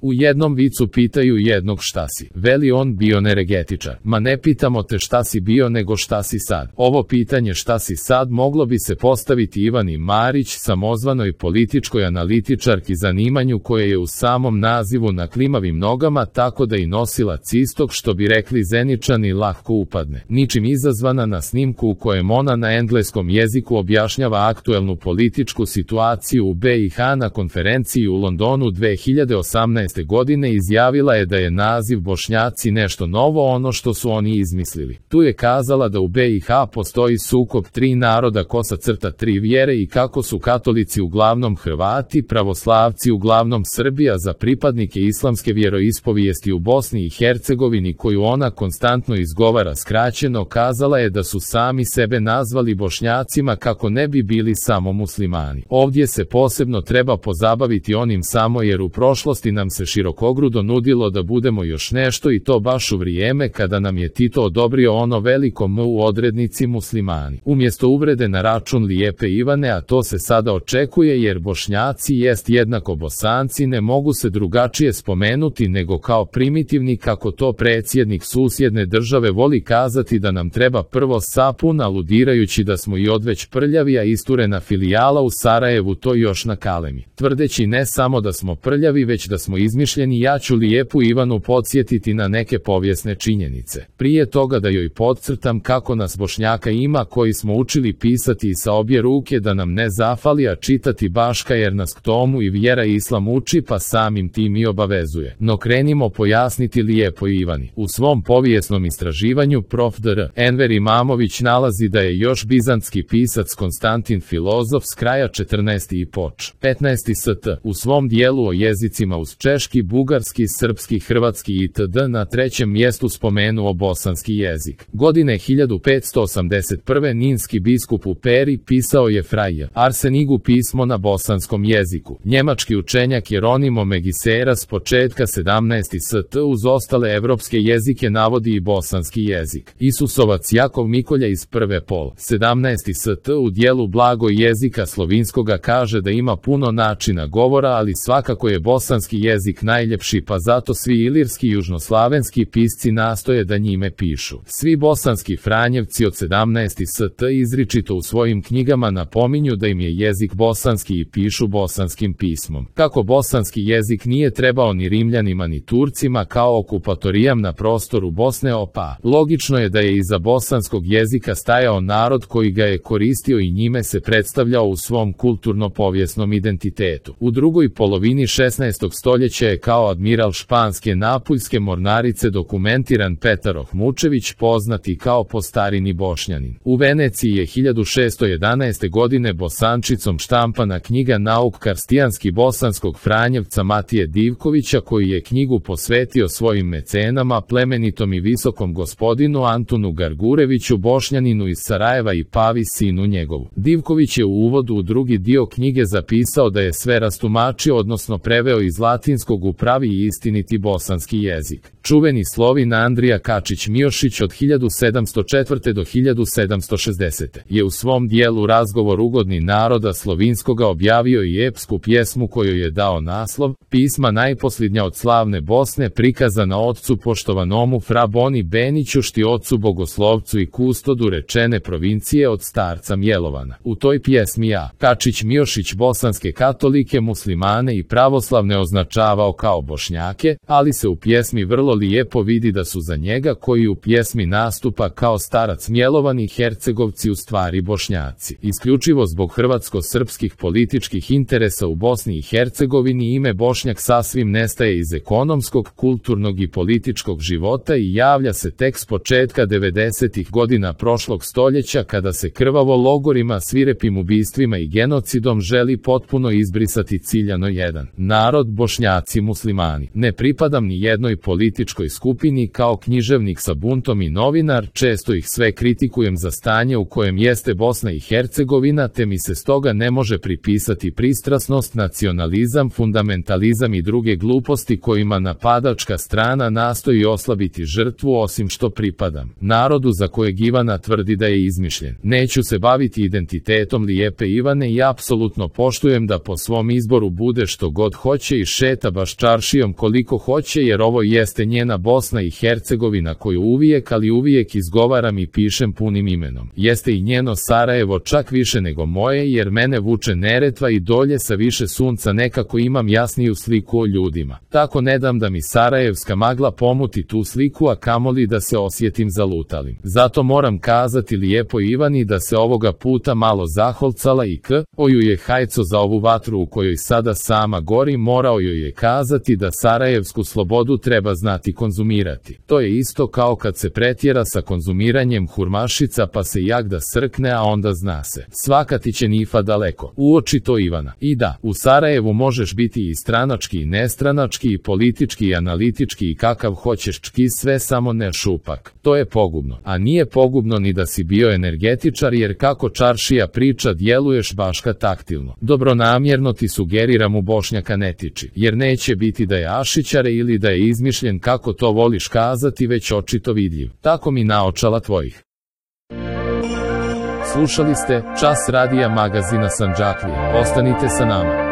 U jednom vicu pitaju jednog šta si. Veli on bioenergetičar. Ma ne pitamo te šta si bio nego šta si sad. Ovo pitanje šta si sad moglo bi se postaviti Ivani Marić, samozvanoj političkoj analitičarki zanimanju koje je u samom nazivu na klimavim nogama, tako da i nosilac istog, što bi rekli Zeničani, lako upadne. Ničim izazvana na snimku u kojem ona na engleskom jeziku objašnjava aktuelnu političku situaciju u BiH na konferenciji u Londonu 2018. godine izjavila je da je naziv Bošnjaci nešto novo, ono što su oni izmislili. Tu je kazala da u BiH postoji sukob tri naroda, tri vjere i kako su katolici uglavnom Hrvati, pravoslavci uglavnom Srbi, a za pripadnike islamske vjeroispovijesti u Bosni i Hercegovini, koju ona konstantno izgovara skraćeno, kazala je da su sami sebe nazvali Bošnjacima kako ne bi bili samo muslimani. Ovdje se posebno treba pozabaviti onim samo jer u prošlosti nam se širokogrudo nudilo da budemo još nešto i to baš u vrijeme kada nam je Tito odobrio ono veliko M u odrednici muslimani. Umjesto uvrede na račun lijepe Ivane, a to se sada očekuje jer Bošnjaci jest jednako Bosanci, ne mogu se drugačije spomenuti nego kao primitivni, kako to predsjednik susjedne države voli kazati, da nam treba prvo sapun, aludirajući da smo i odveć prljavi, a isturena filijala u Sarajevu to još na kalemi. Tvrdeći ne samo da smo prljavi, već da smo izmišljeni, ja ću lijepu Ivanu podsjetiti na neke povijesne činjenice. Prije toga da joj podcrtam kako nas Bošnjaka ima koji smo učili pisati sa obje ruke, da nam ne zafali, a čitati baška jer nas k tomu i vjera i islam uči, pa samim tim i obavezuje. No krenimo pojasniti lijepo Ivani. U svom povijesnom istraživanju prof. dr. Enver Imamović nalazi da je još bizantski pisac Konstantin Filozof s kraja 14. i poč. 15. st. u svom dijelu o jezicima uz češki, bugarski, srpski, hrvatski itd. na trećem mjestu spomenuo bosanski jezik. Godine 1581. ninski biskup u Peri pisao je Fraj Arsenigu pismo na bosanskom jeziku. Njemački učenjak Jeronimo Megisera s početka 17. st. uz ostale evropske jezike navodi i bosanski jezik. Isusovac Jakov Mikolja iz prve pol 17. st. u dijelu Blago jezika slovinskoga kaže da ima puno načina govora, ali svakako je bosanski jezik najljepši, pa zato svi ilirski i južnoslavenski pisci nastoje da njime pišu. Svi bosanski Franjevci od 17. st. izričito u svojim knjigama napominju da im je jezik bosanski i pišu bosanskim pismom. Kako bosanski jezik nije trebao ni Rimljanima ni Turcima kao okupatorijam na prostoru Bosne opa, logično je da je iza bosanskog jezika stajao narod koji ga je koristio i njime se predstavljao u svom kulturno-povijesnom identitetu. U drugoj polovini 16. stoljeća je kao admiral španske napuljske mornarice dokumentiran Petar Ohmučević, poznati kao po starini Bošnjanin. U Veneciji je 1611. godine bosančicom štampana knjiga Nauk karstijanski bosanskog Franjevca Matije Divkovića, koji je knjigu posvetio svojim mecenama, plemenitom i visokom gospodinu Antunu Gargureviću, Bošnjaninu iz Sarajeva i Pavi, sinu njegovu. Divković je u uvodu u drugi dio knjige zapisao da je sve rastumačio, odnosno preveo iz latinskog u pravi i istiniti bosanski jezik. Čuveni Slovin Andrija Kačić-Miošić od 1704. do 1760. je u svom dijelu Razgovor ugodni naroda slovinskoga objavio i epsku pjesmu kojoj je dao naslov Pisma najposljednja od slavne Bosne, prikazana otcu poštovanomu Fra Boni Beniću, šti otcu bogoslovcu i kustodu rečene provincije od starca Mjelovana. U toj pjesmi Kačić-Miošić bosanske katolike, muslimane i pravoslavne označavao kao Bošnjake, ali se u pjesmi vrlo lijepo vidi da su za njega, koji u pjesmi nastupa kao starac Mjelovan, i Hercegovci u stvari Bošnjaci. Isključivo zbog hrvatsko-srpskih političkih interesa u Bosni i Hercegovini ime Bošnjak sasvim nestaje iz ekonomskog, kulturnog i političkog života i javlja se tek s početka 90. godina prošlog stoljeća, kada se krvavo logorima, svirepim ubistvima i genocidom želi potpuno izbrisati ciljano jedan narod, Bošnjaci muslimani. Ne pripadam ni jednoj političkoj skupini, kao književnik sa buntom i novinar, često ih sve kritikujem za stanje u kojem jeste Bosna i Hercegovina, te mi se stoga ne može pripisati pristrasnost, nacionalizam, fundamentalizam i druge gluposti kojima napadačka strana nastoji oslabiti žrtvu, osim što pripadam narodu za kojeg Ivana tvrdi da je izmišljen. Neću se baviti identitetom lijepe Ivane i apsolutno poštujem da po svom izboru bude što god hoće i šeta šeta baš čaršijom koliko hoće jer ovo jeste njena Bosna i Hercegovina koju uvijek ali uvijek izgovaram i pišem punim imenom. Jeste i njeno Sarajevo čak više nego moje jer mene vuče Neretva i dolje sa više sunca nekako imam jasniju sliku o ljudima. Tako ne dam da mi sarajevska magla pomuti tu sliku a kamoli da se osjetim zalutalim. Zato moram kazati lijepo Ivani da se ovoga puta malo zaholcala i oju je hajco za ovu vatru u kojoj sada sama gori morao joj je kazati da sarajevsku slobodu treba znati konzumirati. To je isto kao kad se pretjera sa konzumiranjem hurmašica pa se jak da srkne a onda zna se. Svaka ti će nifa daleko. Uoči to Ivana. I da, u Sarajevu možeš biti i stranački i nestranački i politički i analitički i kakav hoćeš čki sve samo ne šupak. To je pogubno. A nije pogubno ni da si bio energetičar jer kako čaršija priča djeluješ baška taktilno. Dobronamjerno ti sugeriram u Bošnjaka ne tiči, jer neće biti da je ašićare ili da je izmišljen kako to voliš kazati već očito vidljiv. Tako mi naočala tvojih. Slušali ste Čas radija magazina Sandžaklija. Ostanite sa nama.